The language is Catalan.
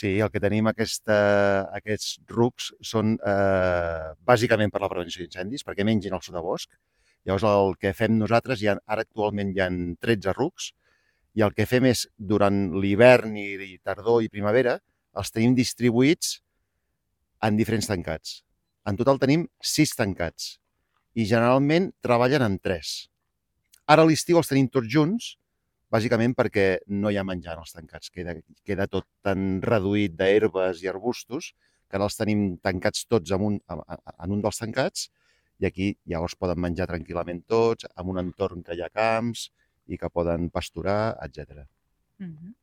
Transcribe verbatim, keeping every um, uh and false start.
Sí, el que tenim aquesta, aquests rucs són eh, bàsicament per la prevenció d'incendis, perquè mengin el sotabosc. Llavors el que fem nosaltres, hi ha, ara actualment hi ha tretze rucs, i el que fem és, durant l'hivern i, i tardor i primavera, els tenim distribuïts en diferents tancats. En total tenim sis tancats i generalment treballen en tres. Ara a l'estiu els tenim tots junts, bàsicament perquè no hi ha menjar en els tancats. Queda, queda tot tan reduït d'herbes i arbustos que ara els tenim tancats tots en un, en un dels tancats i aquí llavors poden menjar tranquil·lament tots, en un entorn que hi ha camps i que poden pasturar, etcètera. Uh-huh.